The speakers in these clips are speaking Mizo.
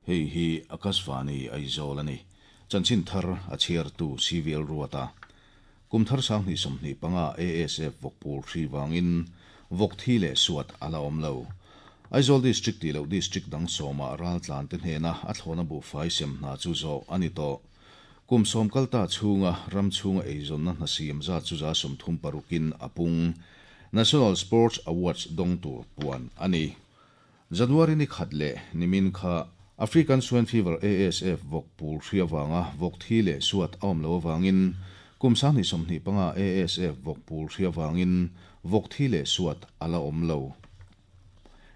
Hei hi Akashvani Aizawl a ni. Chanchin thar a chhiartu CVL Ruata. Kum thar 2025 ASF vawkpul hri vangin vawk thi leh suat a la awm lo. Aizawl District tih loh District dang sawmah raltlante hnena a thlawna buhfai sem hna chu zawh a ni tawh. Kum sawm kalta chhunga ram chhunga eizawnna hna siam zat chu 36% in a pung. National Sports Awards dawng tur puan a ni. January ni khat leh nimin kha African Swine Fever, ASF, vawk pul hri avanga vawk thi leh suat a awm loh avangin kum 2025 ASF vawk pul hri avangin vawk thi leh suat a la awm lo.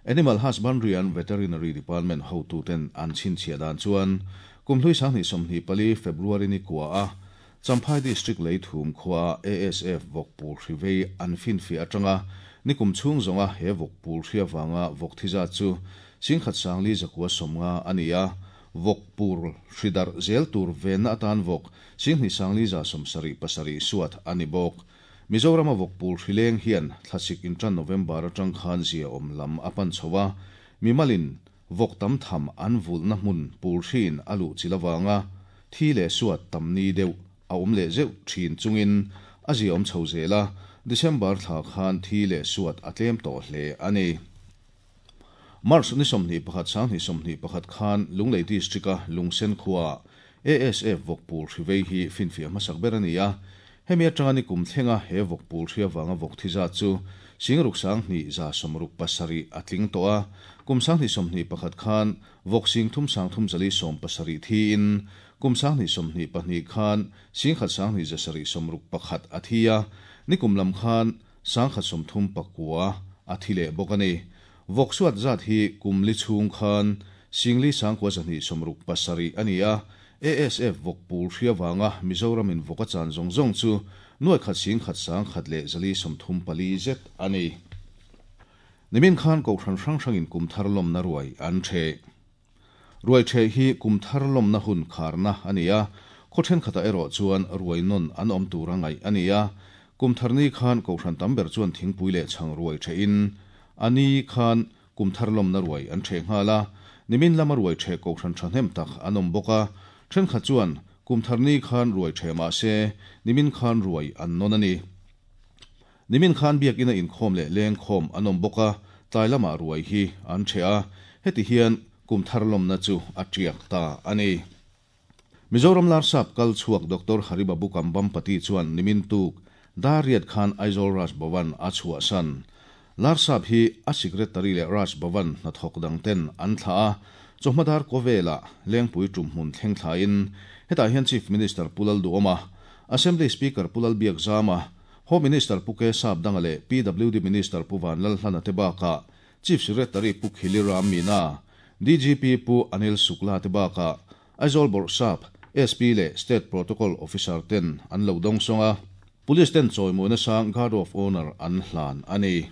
Animal Husbandry and Veterinary Department hotuten an chhinchhiah dan chuan kum hlui 2024 February ni kua a Champhai District Leithum khua ASF vawk pul hri vei an finfiah atanga nikum chhung zawnga he vawk pul hri avanga vawk thi zat chu 1490 a ni a, vawk pur hri darh zel tur venna atan vawk 21,177 suat a ni bawk. Mizorama vawk pul hri leng hian thlasik intan November atang khan zia awm lam a pan chho a, mimalin vawk tam tham an vulhna hmun pul hriin a luh chilh avanga thi leh suat tam ni deuh a awm leh zeuh thin chungin a zia awm chho zel a, December thla khan thi leh suat a tlem tawh hle a ni. March ni 21 2021 khan Lunglei District-a Lungsen khuaah ASF vawk pul hri vei hi finfiah hmasak ber a ni a. Hemi atanga ni kum thlenga he vawk pul hri avanga vawk thi zat chu 61,167 a tling tawh a. Kum 2021 khan vawk 33,370 thiin kum 2022 khan 1,2 761 a thi a. Nikum lam khan 139 a thi leh bawk a ni. Vawk suat zat hi kum li chhung khan 4,967 a ni a. ASF vawk pul hri avanga Mizoramin vawk a chan zawng zawng chu 1 101 434 zet a ni. Nimin khan kohhran hrang hrangin kum thar lawmna ruai an ṭheh. Ruai ṭheh hi kum thar lawmna hun kharna a ni a, khaw ṭhenkhatah erawh chuan ruai nawn an awm tur a ngaih a ni a. Kum thar ni khan kohhran tam ber chuan thingpui leh chhang ruai ṭhehin a ni khan kum thar lawmna ruai an ṭheh nghal a. Nimin lama ruai ṭheh kohhran ṭhahnem tak an awm bawk a, ṭhenkhat chuan kum thar ni khan ruai ṭheh mah se nimin khan ruai an nawn a ni. Nimin khan biakina inkhawm leh lengkhawm an awm bawk a, tlai lamah ruai hi an ṭheh a, heti hian kum thar lawmna chu a ṭiak ta a ni. Mizoram Larsap kal chhuak Doctor Haribabu Kambhampati chuan nimin tuk dar riat khan Aizawl Raj Bhavan a chhuahsan. Larsap hi a Secretary leh Raj Bhavan hnathawk dang ten an thlah a, chawhma dar Kawvela Lengpui tum hmun thleng thlain hetah hian Chief Minister Pu Lalduhoma, Assembly Speaker Pu Lalbiakzama, Home Minister Pu K Sapdanga leh PWD Minister Pu Vanlalhlana te bakah Chief Secretary Pu Khili Ram Meena, DGP Pu Anil Shukla te bakah Aizawl Bawrhsap, SP leh State Protocol Officer ten an lo dawng sawng a, Police ten chawimawina sang Guard of Honour an hlan a ni.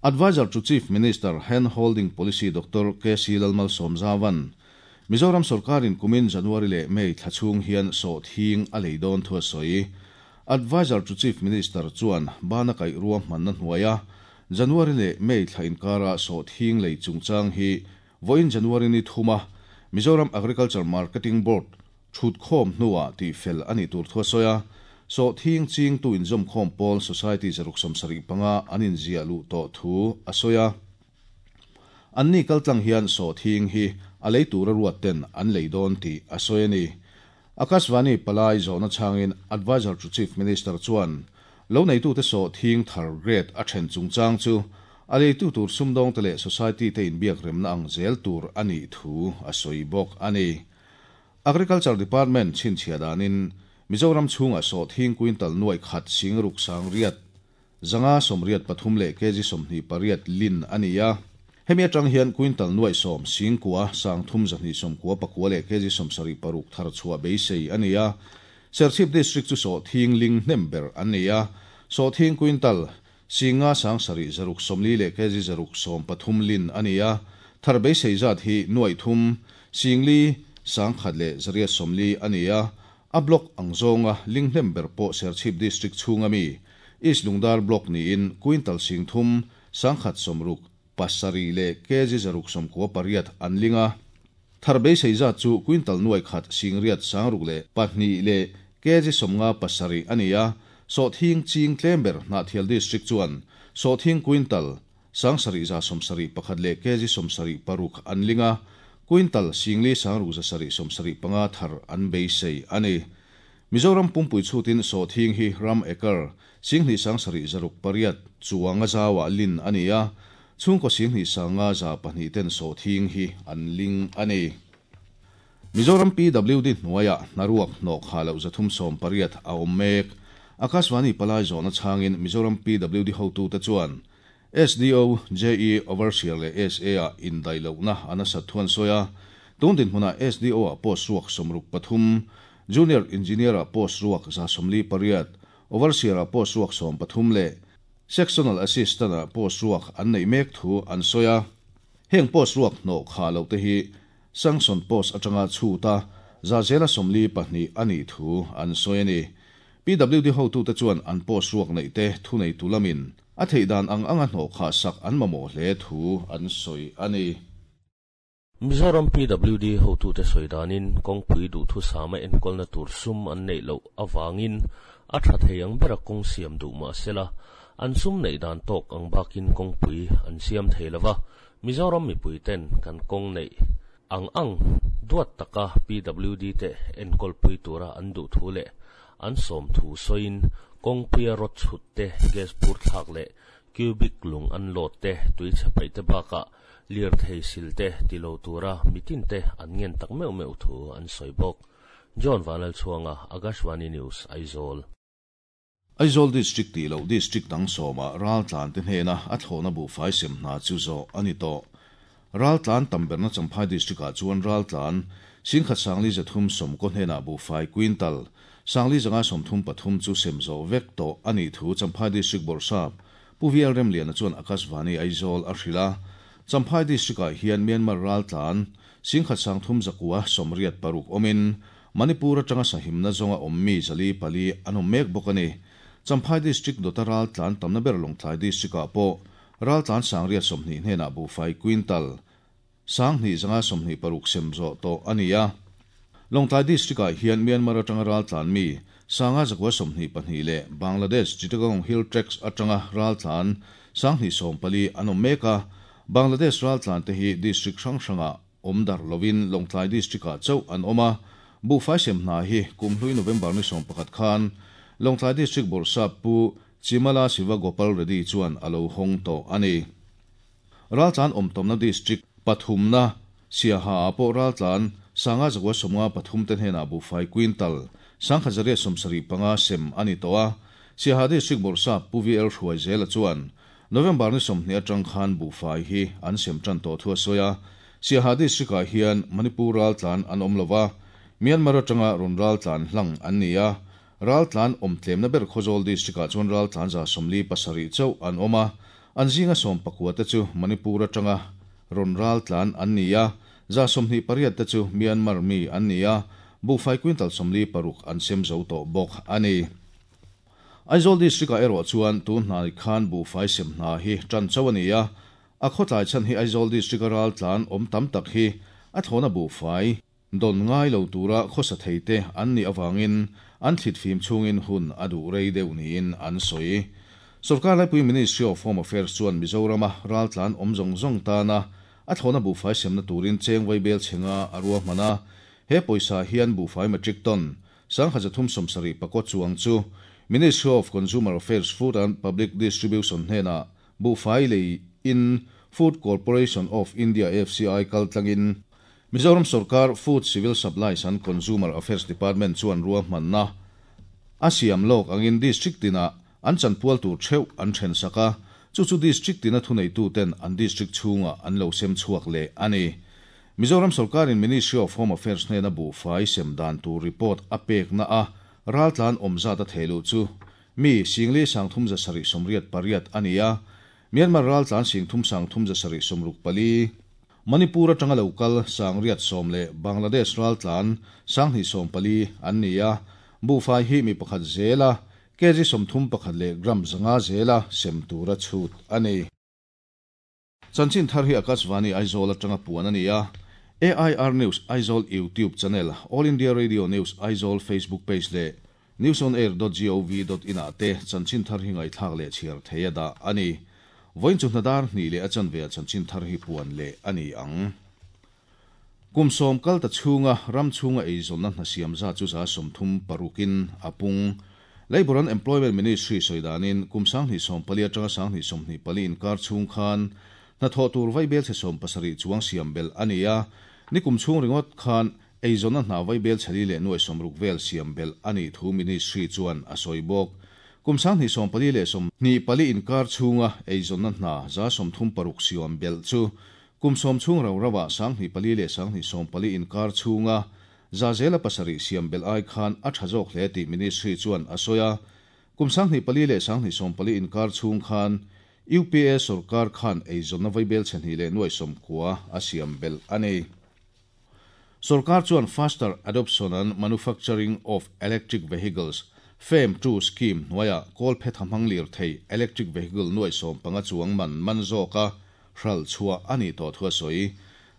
Adviser to Chief Minister Hand Holding Policy Doctor KC Lalmalsawmzavan, Mizoram sorkarin kumin January leh May thla chhung hian sawhthing a lei dawn thu a sawi. Adviser to Chief Minister chuan bana kaih ruahmanna hnuaia January leh May thla inkara sawhthing lei chungchang hi vawiin January ni thuma Mizoram Agriculture Marketing Board thut khawm hnuah tih fel a nih tur thu a sawi a. Sawhthing chingtu inzawmkhawm pawl Society 175 an inziah luh tawh thu a sawi a. Anni kaltlang hian sawhthing hi a lei tura ruat ten an lei dawn tih a sawi a ni. Akashvani palai zawhna changin Adviser to Chief Minister chuan lo neitute sawhthing thar grade a then chungchang chu a leitu tur sumdawng te leh society te inbiak remna ang zel tur a nih thu a sawi bawk a ni. Agriculture Department chhinchhiah danin Mizoram chhunga sawhthing quintal 100 600 583 leh kg 28 lin a ni a. Hemi atang hian quintal 10 9,329 leh kg 76 thar chhuah beisei a ni a. Serchhip District chu sawhthing ling hnem ber an ni a. Sawhthing quintal 5,740 leh kg 130 lin a ni a. Thar beisei zat hi 3 4,140 a ni a. A block ang zawnga ling hnem ber pawh Serchhip District chhunga mi East Lungdar block niin quintal 3,167 leh kg 198 an ling a. Thar beisei zat chu quintal nuai khat 80 6002 leh kg 57 a ni a. Sawhthing ching tlem ber Hnahthial District chuan sawhthing quintal 7171 leh kg 76 an ling a, quintal 4 675 thar an beisei a ni. Mizoram pumpui chhutin sawhthing hi ram acre 27,608 chuang a zauah lin a ni a, chhungkaw 25,102 ten sawhthing hi an ling a ni. Mizoram PWD hnuaiah hnaruak hnawh khah loh 380 a awm mek. Akashvani palai zawhna chhangin Mizoram PWD hotute chuan SDO, JE, Overseer leh SA-ah indaih lohna a nasat thu an sawi a. Tun dinhmunah SDO-ah post ruak 63, Junior Engineer-ah post ruak 148, Overseer-ah post ruak 13 leh Sectional Assistant-ah post ruak an neih mek thu an sawi a. Heng post ruak hnawh khah loh te hi Sanction post atanga chhuta zahzela 42 a nih thu an sawi a ni. PWD hotute chuan an post ruak neih te thuneitu lamin a theih dan ang anga hnawh khah sak an mamawh hle thu an sawi a ni. Mizoram PWD hotute sawi danin kawngpui duhthusama enkawlna tur sum an neih loh avangin a tha thei ang bera kawng siam duh mah sela, an sum neih dan tawk ang bakin kawngpui an siam thei lova, Mizoram mipui ten kan kawng neih ang ang duat taka PWD te enkawlpui tura an duh thu leh an sawm thu sawiin kawngpuia rawt chhut te, gas bur thlak leh cubic lung an load te, tui chhe paih te bakah lirthei sil te ti lo tura mitin te an ngen tak meuh meuh thu an sawi bawk. John Vanlalchhuanga, Akashvani News, Aizawl. Aizawl District tih loh District dang sawmah raltlan te hnena a thlawhna buhfai sem hna chu zawh a ni tawh. Raltlan tam berna Champhai District ah chuan raltlan 1330 hnenah buhfai quintal 4533 chu sem zawh vek tawh a nih thu Champhai District Bawrhsap Pu VL Remliana chuan Akashvani Aizawl a hrilh a. Champhai District ah hian Myanmar raltlan 13,986 awmin Manipur atanga sahimna zawnga awm mi 404 an awm mek bawk a ni. Champhai District dawta raltlan tamna ber Lawngtlai District ah pawh raltlan 820 hnenah buhfai quintal 2526 sem zawh tawh a ni a. Lawngtlai District ah hian Myanmar atanga raltlan mi 5922 leh Bangladesh Chittagong Hill Tracts atanga raltlan 2014 an awm mek a. Bangladesh raltlan te hi district hrang hrangah awm darh lovin Lawngtlai District ah chauh an awm a. Buhfai sem hna hi kumhlui November ni 11 khan Lawngtlai District Bawrhsap Pu Chimala Siva Gopal Reddy chuan a lo hawng tawh a ni. Raltlan awm tawmna District pathumna Siaha ah pawh raltlan 5953 te hnenah buhfai quintal 1875 sem a ni tawh a. Siaha District Bawrhsap Pu VL Hruaizela chuan November ni 20 atang khan buhfai hi an sem tan tawh thu a sawi a. Siaha District ah hian Manipur raltlan an awm lova, Myanmar atanga rawn raltlan hlang an ni a. Raltlan awm tlemna ber Khawzawl District ah chuan raltlan 77 chauh an awm a, an zinga 19 te chu Manipur atanga rawn raltlan an ni a, 28 te chu Myanmar mi an ni a, buhfai quintal 46 an sem zo tawh bawk a ni. Aizawl District ah erawh chuan tun hnai khan buhfai sem hna hi tan chauh a ni a, a khawtlai chhan hi Aizawl District a raltlan awm tam tak hi a thlawhna buhfai dawn ngai lo tura khawsa thei te an nih avangin an thlit fim chhungin hun a duh rei deuh niin an sawi. Sorkar laipui Ministry of Home Affairs chuan Mizorama raltlan awm zawng zawng tana a thlawhna buhfai semna turin cheng vaibel chhenga a ruahman a, he pawisa hian buhfai metric ton 1374 chuang chu Ministry of Consumer Affairs Food and Public Distribution hnenah buhfai lei in Food Corporation of India FCI kaltlangin Mizoram Sorkar Food Civil Supplies and Consumer Affairs Department chuan ruahmanna a siam lawk angin district tinah an chanpual tur theuh an then sak a, chu chu district tina thuneitu ten an district chhungah an lo sem chhuak leh a ni. Mizoram Sorkarin Ministry of Home Affairs hnena buhfai sem dan tur report a pekna a raltlan awm zat a theilu chu mi 43,378 a ni a, Myanmar raltlan 33,364, Manipur atanga local 810 leh Bangladesh raltlan 214 an ni a, buhfai hi mi pakhat zela kg 31 leh gram 500 zela sem tura chhut a ni. Chanchin thar hi Akashvani Aizawl atanga puan a ni a. AIR News Aizawl YouTube channel, All India Radio News Aizawl Facebook page leh newsonair.gov.in ah te chanchin thar hi ngaihthlak leh chhiar theih a dah a ni. Vawiin chu hnadar hnih leh a chanve ah chanchin thar hi puan leh a ni ang. Kum sawm kal ta chhunga ram chhunga eizawnna hna siam zat chu 36% in a pung. Labour and Employment Ministry sawi danin kum 2014 atanga 2024 inkar chhung khan hnathawh tur vaibel chhe 70 chuang siam belh a ni a, nikum chhung ringawt khan eizawnna hna vaibel chhe li leh nuai 60 vel siam belh a nih thu Ministry chuan a sawi bawk. Kum 2014 leh 24 inkar chhunga eizawnna hna 36% siam belh chu kum 10 chhung rau rauah 2004 leh 2014 inkar chhunga 7% siam belh ai khan a tha zawk hle tih Ministry chuan a sawi a. Kum 2004 leh 2014 inkar chhung khan UPA sorkar khan eizawnna vaibel chhe hnih leh nuai 90 a siam belh a ni. Sorkar chuan Faster Adoption and Manufacturing of Electric Vehicles, FAME 2 scheme hnuaiah kawlphetha hmang lirthei electric vehicle nuai 15 chuang man man zawka hral chhuah a nih tawh thu a sawi.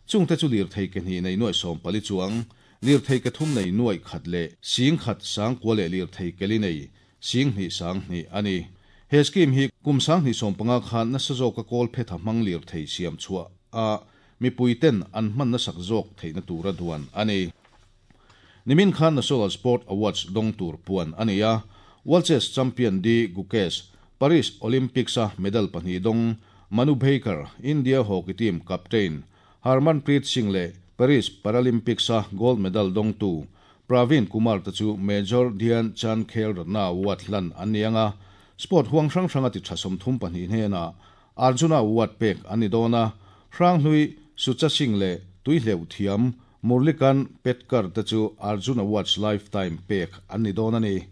Chungte chu lirthei ke hnih nei nuai 14 chuang, lirthei ke thum nei nuai khat leh sing khat sang kua leh lirthei ke li nei sing hnih sang hnih a ni. He scheme hi kum 2015 khan nasa zawka kawlphetha hmang lirthei siam chhuah a mipuiten an hman nasak zawk theihna tura duan a ni. Nimin khan National Sport Awards dawng tur puan a ni a, World Chess Champion D Gukesh, Paris Olympics a medal pahnih dawng Manu Bhaker, India hockey team captain Harmanpreet Singh leh Paris Paralympics a gold medal dawngtu Praveen Kumar te chu Major Dhyan Chand Khel Ratna Award hlan an ni ang a, sport huang hrang hranga ti tha 32 hnenah Arjuna Award pek an ni dawn a, Hranghlui Sucha Singh leh Tuihleuh thiam Murlikant Petkar te chu Arjun Awards Lifetime pek an ni dawn a ni.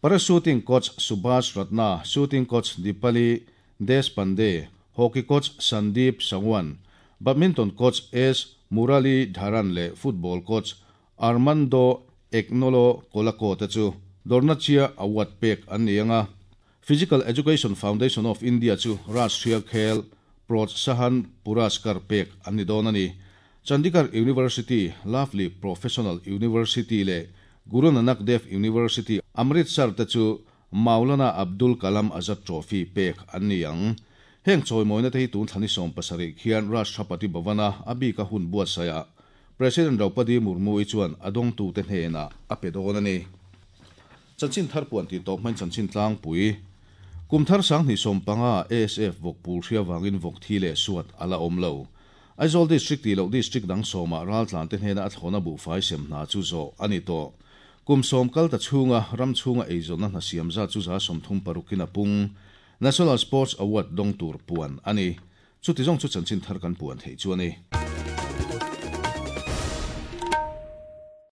Para shooting coach Subhash Ratna, shooting coach Deepali Deshpande, hockey coach Sandeep Sangwan, badminton coach S Murali Dharan leh football coach Armando Agnolo Colaco te chu Dronacharya Award pek an ni ang a. Physical Education Foundation of India chu Rashtriya Khel Protsahan Puraskar pek an ni dawn a ni. Chandigarh University, Lovely Professional University leh Guru Nanak Dev University, Amritsar te chu Maulana Abdul Kalam Azad Trophy pek an ni ang. Heng chawimawina te hi tun thla ni 17 khian Rashtrapati Bhavan-a a bika hun buatsaihah President Draupadi Murmu-i chuan a dawngtute hnenah a pe dawn a ni. Chanchin thar puan tih tawp hmain chanchin tlangpui kum thar 2015 ASF vawk pul hria vangin vawk thi leh suat a la awm lo. Aizawl District tih loh District dang sawmah raltlan te hnena a thlawna buhfai sem hna chu zawh a ni tawh. Kum 10 kal ta chhunga ram chhunga eizawnna hna siam zat chu 36% in a pung. National Sports Award dawng tur puan a ni. Chuti zawng chu chanchin thar kan puan theih chu a ni.